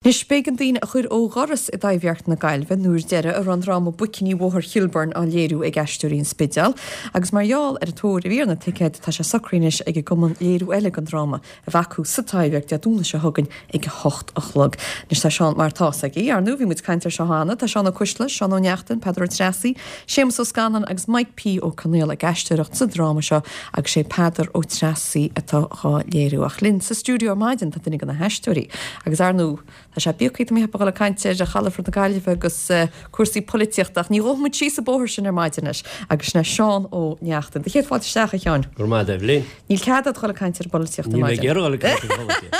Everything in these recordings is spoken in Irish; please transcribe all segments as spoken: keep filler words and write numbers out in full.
Anois b'éigean daoine a chur ó dhoras i dTaibhdhearc na Gaillimhe an uair deiridh a raibh an dráma Boicíní Bhóthar Chilburn á léiriú ag Aisteoirí an Spidéil agus mar gheall ar an tóir a bhí ar na ticéid tá sé socraithe anois ag an gcumann léiriú eile den dráma a bheith acu sa Taibhdhearc Dé Domhnaigh seo chugainn ag a hocht a chlog. Anois tá Seán mar tá aige ar ndóigh bhí muid ag caint air seo cheana, tá Seán Ó Cuisle, Seán Ó Neachtain, Peadar Ó Treasaigh, Séamus Ó Scanláin agus Mike P Ó Conaola ag aisteoireacht sa dráma seo agus sé Peadar Ó Treasaigh atá dhá léiriú ach linn sa stiúideo ar maidin tá duine de na haisteoirí agus ar ndóigh Tá sé beagán tá mé ag dul ag caint ar chalafort na Gaillimhe agus uh, cúrsaí polaitíochta ach ní ghabhfaidh muid síos an bóthar sin ar maidin anois agus sin é Seán Ó Neachtain. Do chéad fáilte isteach a Sheáin. Gur maith Evelyn. Níl cead agat dul ag caint ar an bpolaitíocht ar Ní maidin. ag dul ag caint ar an bpolaitíocht.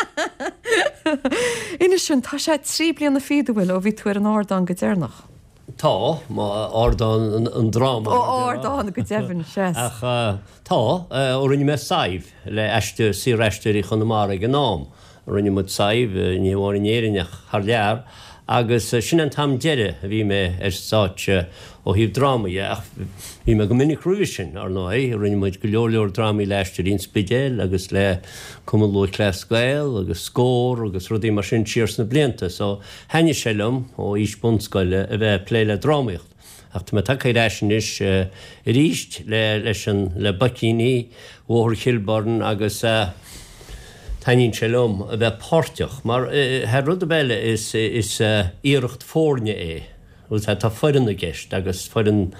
Inis dúinn tá sé trí bliana fichead bhfuil ó bhí tú ar an ardán go deireanach. Tá má ardán an, an dráma. Ó ardán go deimhin sé. Ach uh, tá uh, ó rinne mé Sadhbh le aisteoir Saor-Aisteoirí Chonamara ag an am. Rinne muid Sadhbh ní hamháin in Éirinn ach thar lear, agus uh, sin an t-am deiridh a bhí mé ar stáitse ó thaobh drámaí ach bhí mé go minic roimhe sin ar ndóigh, rinne muid go leor leor drámaí le Aisteoirí an Spidéil agus le Cumann Lúthchleas Gael agus Scór agus rudaí mar sin siar sna blianta, so thaitnigh sé liom ó aois bunscoile a bheith plé le drámaíocht. Ach tá mé tagtha ar ais anois uh, arís le leis an le Boicíní Bhóthar Chilburn agus uh, taitníonn sé liom a bheith páirteach, mar uh, thar rud eile is, is uh, iarracht foirne é. Agus tá foireann i gceist agus foireann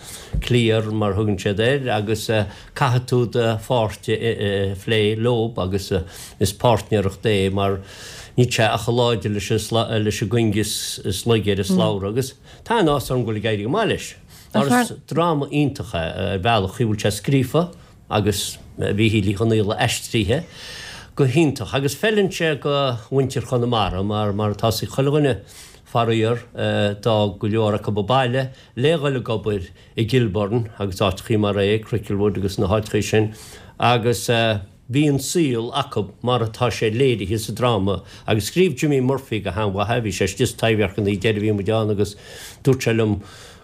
cliar mar thugann siad air agus uh, caithfidh tú do pháirt a phlé leo agus uh, is páirtnéireacht é mar ní sé ach láidir leis leis an gcuing is is laige ar an slabhra agus tá an áthas orm go bhfuil ag éirí go maith leis. Mar is dráma iontach é ar bhealach chu bhfuil sé scríofa agus Mhíchíl Uí Chonghaile aistrithe go hiontach agus feileann sé go mhuintir Chonamara mar mar tá sí chuile dhuine faraor d'fhág go leor acu an baile le dhul ag obair i gCilburn agus áiteachaí mar é Cricklewood agus na háiteachaí sin agus uh, bhí an saol acu mar atá sé léirithe sa dráma agus scríobh Jimmy Murphy go han-mhaith bhí sé istigh sa Taibhdhearc an deireadh bhí muid ann agus dúirt sé liom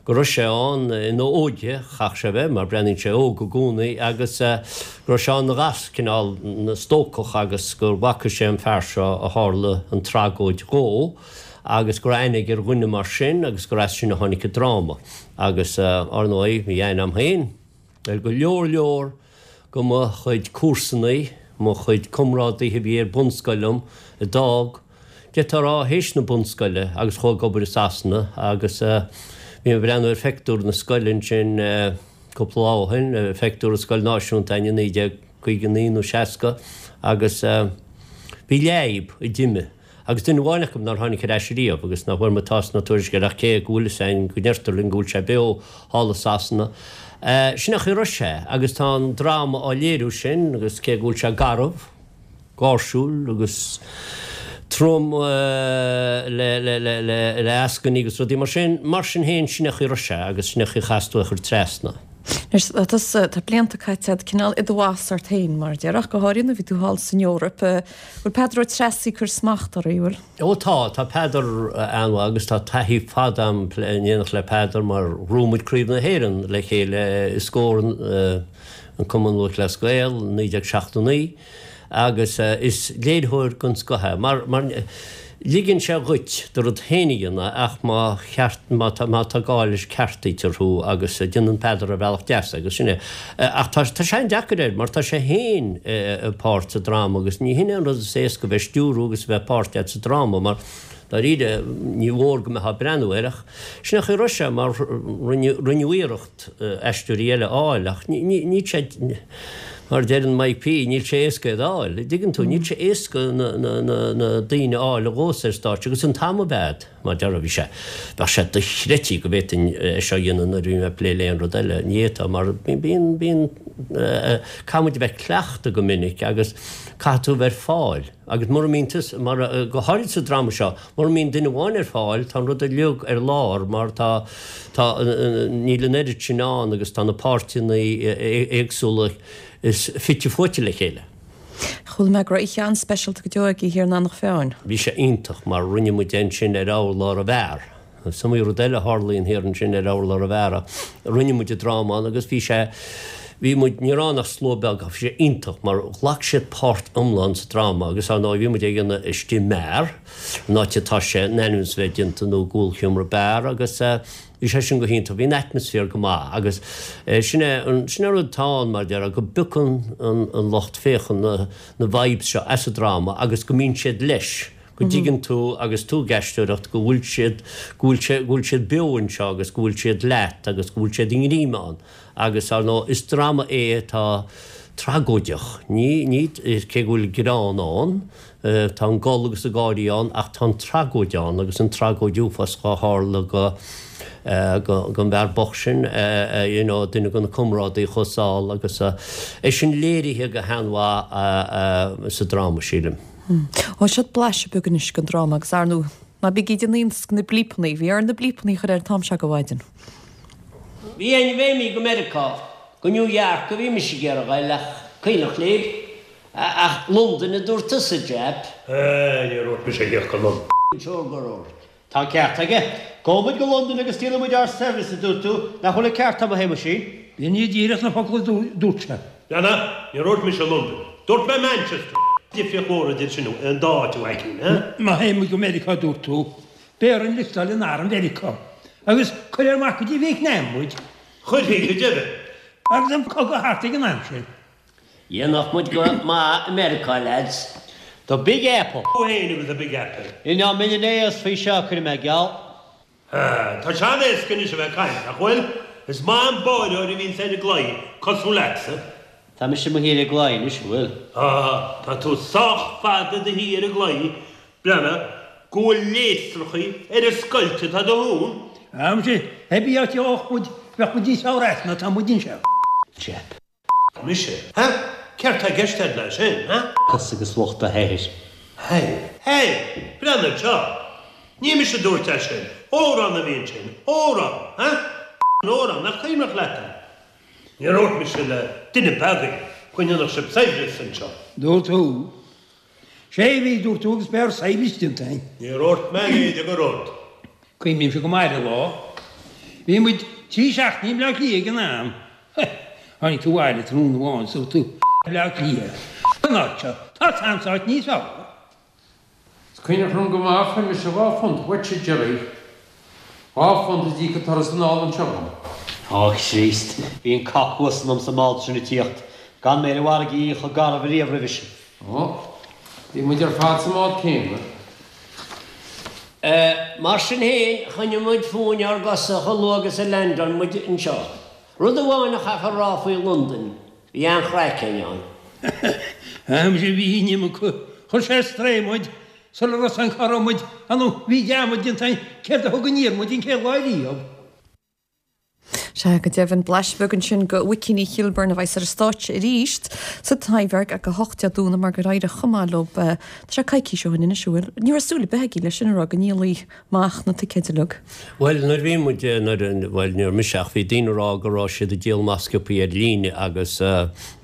go raibh sé ann ina óige chaith sé bheith mar breathnaíonn sé óg i gcónaí agus uh, go raibh sé ina ghas cineál na stócach agus gur bhfaca sé an fear seo a tharla an tragóid dhó agus gur aithne ar dhuine mar sin agus gur as sin a tháinig an dráma agus uh, ar ndóigh bhí aithne agam féin ar go leor leor go mo chuid comharsanaí mo chuid comrádaithe bhí ar bunscoil liom a d'fhág de rá théis na bunscoile agus chuaigh ag obair i Sasana agus uh, bhí mé ag breathnú ar phictiúr na scoile sin uh, cúpla lá ó shin, uh, phictiúr na scoil náisiúnta in naoi déag caoga naoi nó seasca agus uh, bhí leib i dime. Agus duine amháin acu nár tháinig ar ais riamh agus nach bhfuair mé tásc ná tuairisc ach cé go bhfuil sein go ndeirtear linn go bhfuil sé beo thall i Sasana. Uh, sin nach raibh sé agus tá an dráma á léiriú sin agus cé go bhfuil sé garbh, gáirsiúil agus trom uh, le, le, le, le, le eascainí agus rudaí mar sin mar sin féin sin nach raibh sé agus sin nach chasú chur trasna. Anois tá tá blianta caite agat cineál i do bhás ort féin mar déarfá go háirithe bhí tú thall san Eoraip bhfuil Peadar Ó Treasaigh ag cur smacht ort bhfuil. Ó tá tá Peadar an agus tá taithí fada agam in éineacht le Peadar mar bhuaigh muid Craobh na hÉireann le chéile i Scór uh, an Cumann Lúthchleas Gael naoi déag seachtó naoi agus uh, is léiritheoir den scoth é mar mar ligeann sé dhuit do rud féin a dhéanamh ach má cheart má tá má tá gá leis ceartaítear thú agus uh, déanann Peadar ar bhealach deas agus sinne ach tá tá sé deacair air mar tá sé féin uh, páirt sa dráma agus ní hin an rud is éasca bheith stiúrú agus bheith páirt sa dráma mar dáiríre ní mhór go mbeifeá ag breathnú air ach sin nach raibh sé mar rinneadh iarracht aisteoirí eile a fháil ach ní sé mar deireann Mike P níl sé éasca a fháil. Tuigeann tú níl sé éasca na, na, na, na daoine a fháil a ghabhas ar stáitse agus an t-am a bhead mar dear bhí sé bheadh sé dochreidte go bhféadfainn é seo a dhéanamh nuair bhí mé ag plé le aon rud eile ní fhéadfá mar bíonn bíonn caithfidh muid a bheith cleachta go minic agus caithfidh tú bheith ar fáil agus mura mbíonn tú mar go háirid sa dráma seo mura mbíonn duine amháin ar fáil tá an rud uilig ar lár mar tá tá níl an oiread sin ann agus tá na páirteanna éagsúla is fite fuaite le chéile. Chuala mé go raibh oíche an-speisialta go deo agaibh thiar in Eanach Mheáin. Bhí sé iontach mar rinne muid sin ar urlár an bheáir. Is iomaí rud eile a tharlaíonn thiar ansin ar urlár an bheáir. Rinne muid an dráma agus bhí sé Bhí muid, ní raibh ann ach slua beag ach bhí sé iontach mar ghlac siad páirt iomlán sa dráma agus ar ndóigh bhí muid ag déanamh istigh i mbeár, an áit atá sé in ainm is a bheith déanta nó i gcúlsheomra beár agus bhí sé sin go hiontach, bhí an atmaisféar go maith agus sin é an, sin é an rud atá ann mar a déarfá go bpiocann an, an lucht féachana na vibes seo as an dráma agus go mbíonn siad leis. go dtuigeann tú agus tú ag aisteoireacht go bhfuil siad, go bhfuil sé, go bhfuil siad beo anseo agus go bhfuil siad leat agus go bhfuil siad i ngreim ann agus, ar ndóigh, is dráma é atá tragóideach. Ní, ní, cé go bhfuil greann ann, tá an gol agus an gáirí ann ach tá an tragóid ann agus an tragóid uafásach a tharla go, go, don bhfear bocht sin, you know, duine de na comrádaí a chuaigh sall agus é sin léirithe go han-mhaith sa dráma, sílim. Ó, seo blaiseadh beag anois den dráma agus ar ndóigh, ná bígí ag déanamh iontas de na blípeanna, bhí orainn na blípeanna a chur air an t-am seo de mhaidin. Bhí ní bheimid go Meiriceá, go New York a bhí mise ag iarraidh a ghoil ach cuimhneach libh, ach Londain a dúirt tusa, Jap. Níor dhúirt mise a dhath go Londain. Siúr gur dhúirt. Tá an ceart aige. Gabhfaidh muid go Londain agus díolfaidh muid ár saibhreas, a dúirt tú. Nach bhfuil an ceart agam, a Shéamuisín? B'in iad díreach na focla a dúirt sé. Leanna, níor dhúirt mise Londain. Dúirt mé Manchester. Difríocht mhór idir sin an dá áit, a Mhaidhcín, eh? Má théann muid go Meiriceá, a dúirt tú, beidh orainn liostáil in arm Mheiriceá. Agus cuirfear amach go dtí Vítneam muid. Chuirfí go deimhin. Agus an cogadh thart ag an am sin. Dhéanfadh muid go maith i Meiriceá, leaids. The Big Apple. Tú fhéin agus an Big Apple. Ní ná mbeinn in aos faoi seo, cuirfidh mé geall. Ah, tá sé an-éasca anois a bheith ag caint, nach bhfuil? Is maith an báireoir a bhíonns ar an gclaí, cosúil leatsa. Tá mise i mo shuí ar an gclaí anois, an bhfuil? Ah, tá tú sách fada i do shuí ar an gclaí, breathnaigh go bhfuil léasrachaí ar an scoilt atá i do thóin. Ah, muise, hé bí áit a gheobhadh muid, bheadh muid níos fearr as ná tá muid anseo. Jap. Mise? Ha? Céard tá i gceist agat leis sin, ha? Tusa agus lucht do shaothair. Hé! Hé! Breathnaigh anseo! Ní mise a dúirt é sin! Odhrán a bhí ansin! Odhrán! Ha? An odhrán, nach cuimhneach leat é? Níor dhúirt mise le duine beag go ndéanfadh sibh saibhreas anseo. Dúirt tú. Sé a bhí, dúirt tú, agus beidh ár saibhreas déanta againn. Níor dhúirt mé a leithéid de rud. Cuimhnímse go maith ar an lá. Bhí muid trí seachtainí i mBleá Cliath ag an am. Tháinig tú abhaile tráthnóna amháin is dúirt tú, Bleá Cliath, an áit seo, tá a fhios a'msa áit níos fearr. Is cuimhneach liom go maith, fuair mise dhá phunt uaitse, Jerry. Dhá phunt a d'íoc an turas anall anseo dhom. Á, Chríost, bhí an cac uasal liom sa mbád sin ag tíocht, gan mé ar an bhfarraige chomh garbh ariamh roimhe sin. Ó, bhí muid ar fad sa mbád céanna. Mar sin féin, choinnigh muid fúinn ár gcosa chomh luath agus a leaindeáil muid anseo. Rud amháin a chaithfear a rá faoi Londain, bhí an-chraic againn ann. Á, muise, bhí an iomarca. Chuir sé ar strae muid sula raibh san cá raibh muid, ar ndóigh, bhí dearmad déanta againn céard a thug aniar muid an chéad lá riamh. Sea, go deimhin, blaiseadh beag ansin de Mhuicíní Kilburn a bheas ar an stáitse arís sa Taibhdhearc ag a hocht Dé Domhnaigh mar gur éirigh chomh maith leo. Tá sé coicís ó shin anois, an bhfuil? Ní raibh súil ar bith agaibh leis sin a rá go ndíolfaí amach na ticéid uilig. Bhuel, nuair a bhí muid, nuair a, bhuel, ní raibh mise ach bhí daoine ag rá go raibh siad ag díol amach sciobthaí ar líne agus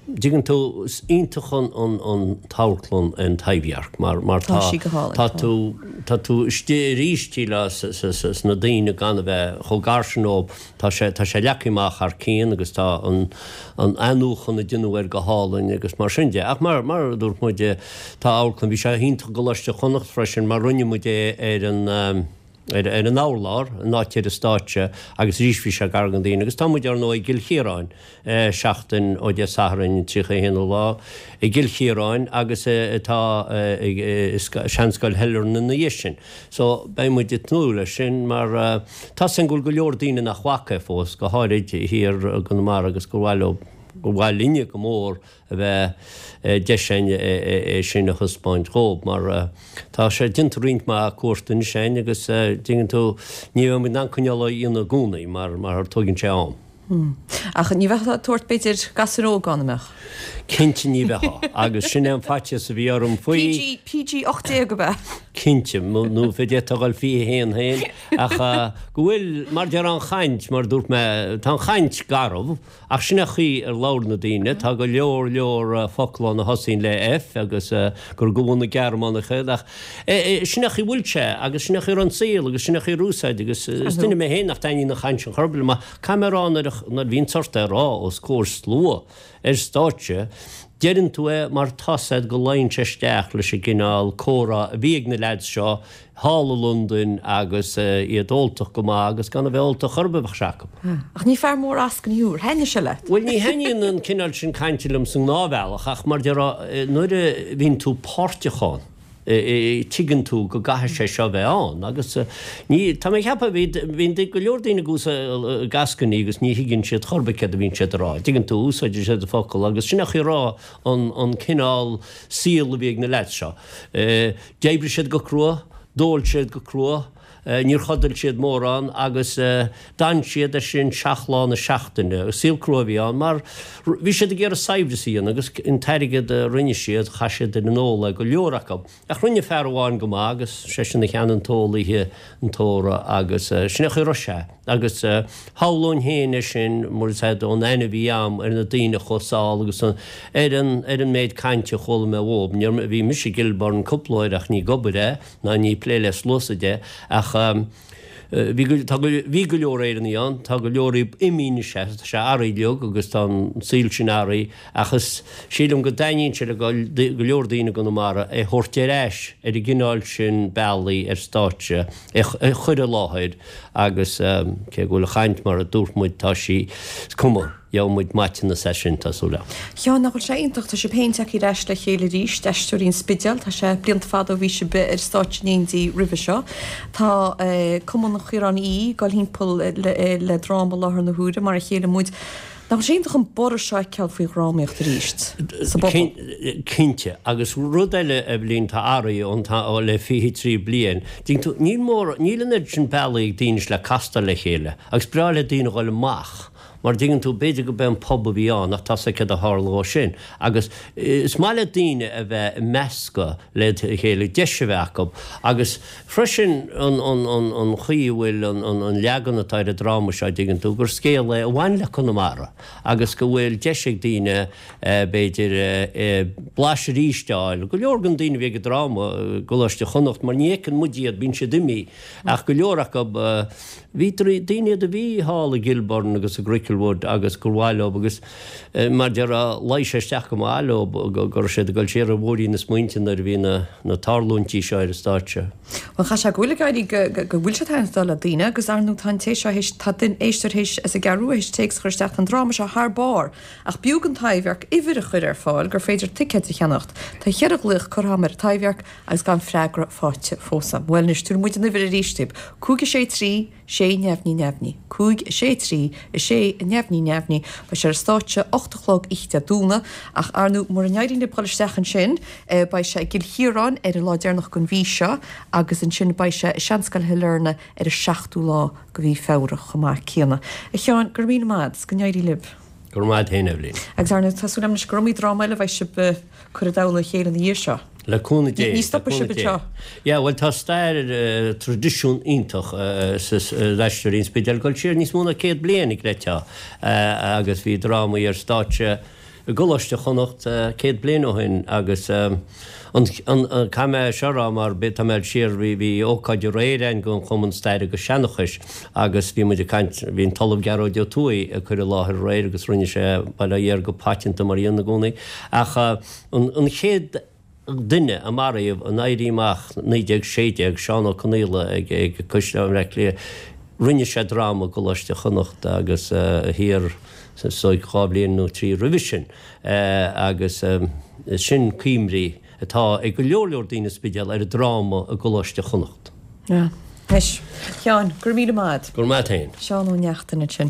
dtuigeann tú, is iontach an, an, an t-amharclann an Taibhdhearc mar, mar Tá tá, sí go hálainn, tá tá. tú, tá tú istigh arís shílfeá sa, sa, sa, sna daoine gan a bheith chomh gar sin dóibh. Tá sé, tá sé leagtha amach thar cionn agus tá an, an athnuachan a déanadh air go hálainn agus mar sin de. Ach mar, mar a dúirt muid, tá amharclann, bhí sé iontach i gColáiste Chonnacht freisin mar rinne muid é ar an, ar, ar an urlár, an áit ar an stáitse agus arís bhí sé gar do daoine. Agus tá muid ar ndóigh i gCill Chiaráin seachtain ó Dé Sathairn an tríocha a haon lá i gCill Chiaráin agus atá i Seanscoil Shailearna ina dhiaidh sin. So beidh muid ag tnúth leis sin mar tá 's againn go bhfuil go leor daoine nach bhfaca é fós, go háirid thiar i gConamara agus gur mhaith leo, gur mhaith linne go mór a bheith deis againn é sin a thaispeáint dhóibh mar tá sé déanta roinnt mhaith cuairt anois againn agus dtuigeann tú ní bheidh muid in ann coinneáil á dhéanamh i gcónaí mar mar tógann sé am. Ach ní bheifeá ag tabhairt b'fhéidir gasúir óga ann, an mbeadh? Cinnte ní bheifeá agus sin é an faitíos a bhí orm faoi. PG, PG ocht déag ab ea? Cinnte, nó d'fhéadfá a dhul fiche haon féin, ach go bhfuil, mar deir an chaint, mar a dúirt mé, tá an chaint garbh, ach sin é an chaoi ar labhair na daoine, tá go leor leor focal ann a thosaíonn le F agus gur de bhunadh na Gearmánacha iad, ach sin é an chaoi a bhfuil sé agus sin é an chaoi a raibh an saol agus sin é an chaoi ar úsáid agus is duine mé féin nach dtaitníonn an chaint sin chor ar bith liom ach caithfidh mé a rá nuair a bhíonns ort é a rá os comhair slua ar stáitse, Deireann tú é mar tá's a'd go luíonn sé isteach leis an gcineál comhrá a bhí ag na leaids seo thall i Londain agus iad óltach go maith agus gan a bheith óltach chor ar bith bheadh sé acu. Ach ní fear mór eascainí thú, ar thaitnigh sé leat? Bhuel ní thaitníonn an cineál sin cainte liom sa ngnáthbhealach ach mar déarfá nuair a bhíonn tú páirteach ann, tuigeann tú go gcaithfidh sé seo bheith ann agus ní, tá mé ag ceapadh, bhí, bíonn go leor daoine ag úsáid eascainí agus ní thuigeann siad chor ar bith céard a bhíonn siad a rá. Tuigeann tú, úsáideann siad an focal agus sin é an chaoi a raibh an, an cineál saol a bhí ag na leaids seo. D'oibrigh siad go crua, d'ól siad go crua, Níor chodail siad mórán agus d'fhan siad air sin seacht lá na seachtaine. Saol crua a bhí ann mar bhí siad ag iarraidh saibhreas a dhéanamh agus an t-airgead a rinne siad, chaith siad ar an ól é, go leor acu. Ach rinne fear amháin go maith agus seisean a cheannaigh an t-ól oíche an tórraimh agus sin é an chaoi a raibh sé. Agus shamhlóinn féin é sin mar is ea ón aithne a bhí a'm ar na daoine a chuaigh sall agus ar an ar an méid cainte a chuala mé uathub. Níor, bhí mise i gCilburn cúpla uair ach ní ag obair é ná ní ag plé le slua de ach bhí go, tá go, bhí go leor Éireannaigh ann, tá go leor imithe anois, tá sé athraithe uilig agus tá an saol sin athraithe ach is, sílim go dtaitníonn sé le go leor daoine i gConamara é thabhairt ar ais ar an gcineál sin bealaí ar stáitse, é a chur i láthair agus cé go bhfuil an chaint mar a dúirt muid, tá sí, is cuma. Gheobhaidh muid maiteanas as sin, tá súil agam. Sheáin, nach bhfuil sé iontach, tá sibh féin tagtha ar ais le chéile arís, Aisteoirí an Spidéil, tá sé blianta fada ó bhí sibh ar stáitse in éindí roimhe seo. Tá Cumann Chiaráin Uí ag dul thimpeall le dráma i láthair na huaire, mar a chéile muid. Nach bhfuil sé iontach an borradh seo a fheiceáil faoi dhrámaíocht arís sa bpobal? Cinnte. Agus rud eile, Eibhlín, atá athraithe ón t-am le fiche trí bliain, tuigeann tú, níl mórán, níl an oiread sin bealaí ag daoine le castáil le chéile agus breá le daoine a dhul amach mar tuigeann tú, b'fhéidir go b'é an pub a bhí ann ach tá's agat céard a tharla ó sin. Agus is maith le daoine a bheith ag meascadh le chéile, deis a bheith acu. Agus freisin an, an, an, an chaoi a bhfuil an, an, an leagan atá ar an dráma seo, dtuigeann tú, gur scéal é a bhain le Conamara agus go bhfuil deis ag daoine b'fhéidir blaiseadh arís a fháil. Go leor den daoine a bhí ag an dráma i gColáiste Chonnacht, mar ní fheiceann muid iad, bíonn siad imithe, ach go leor acu, Bhí daoine iad a bhí thall i gCilburn agus i gCricklewood agus gur mhaith leo agus mar déarfá luigh sé isteach go maith leo go raibh siad ag dul siar ar bhóithrín na smaointe nuair a bhí na tarlúintí seo ar an stáitse. Bhuel chaithfeadh sé go bhfuil ag éirí go bhfuil sé ag taitneamh le daoine agus ar ndóigh tá an té seo théis tá duine éisteoir théis as an gCeathrú Rua théis téacs a chur isteach tá an dráma seo thar barr ach b'fhiú don Taibhdhearc uimhir a chur ar fáil gur féidir ticéid a cheannacht. Tá cheithre ghlaoch curtha agam ar an Taibhdhearc agus gan freagra faighte fós agam. Bhuel anois tabharfaidh muid an uimhir arís daoibh, cúig a sé trí, sé neamhní neamhní, cúig a sé trí, a sé neamhní neamhní. Beidh sé ar an stáitse ocht a chlog oíche Dé Domhnaigh ach ar ndóigh mura n-éiríonn libh dul isteach ansin beidh sé i gCill Chiaráin ar an lá deireanach den mhí seo agus ansin beidh sé i Seanscoil Shailearna ar an seachtú lá de mhí Feabhra chomh maith céanna. A Sheáin, go raibh míle maith agat 's go n-éirí libh. Go raibh maith agat féin, Eibhlín. Agus ar ndóigh tá súil agam anois gur iomaí dráma eile a bheidh sibh ag cur i dtoll a chéile ina dhiaidh seo. Le cúnamh Dé. Ní stopfaidh sibh anseo. Yeah, bhuel tá stair, traidisiún iontach sa Aisteoirí an Spidéil ag dul siar níos mó ná céad bliain, chreidfeá, agus bhí drámaí ar stáitse i gColáiste Chonnacht céad bliain ó shin agus an, an, caithfidh mé seo a rá mar tá mé ag dul siar, bhí, bhí ócáid aréir againn don Chumann Staire agus Seanchais agus bhí muid ag caint, bhí an tOllamh Gearóid Ó Tuathaigh ag cur i láthair aréir agus rinne sé, bail ó Dhia air, go paiteanta mar a dhéanann i gcónaí ach an, an chéad duine a maraíodh in Éirí Amach naoi déag sé déag, Seán Ó Conaola ag Caisleán Bhaile Átha Cliath, rinne sé dráma i gColáiste Chonnacht agus thiar is dóigh dhá bhliain nó trí roimhe sin agus sin cuimhní atá ag go leor leor daoine sa Spidéal ar an dráma i gColáiste Chonnacht. Anois, Sheáin, go raibh míle maith agat. Go raibh maith agat féin. Seán Ó Neachtain ansin.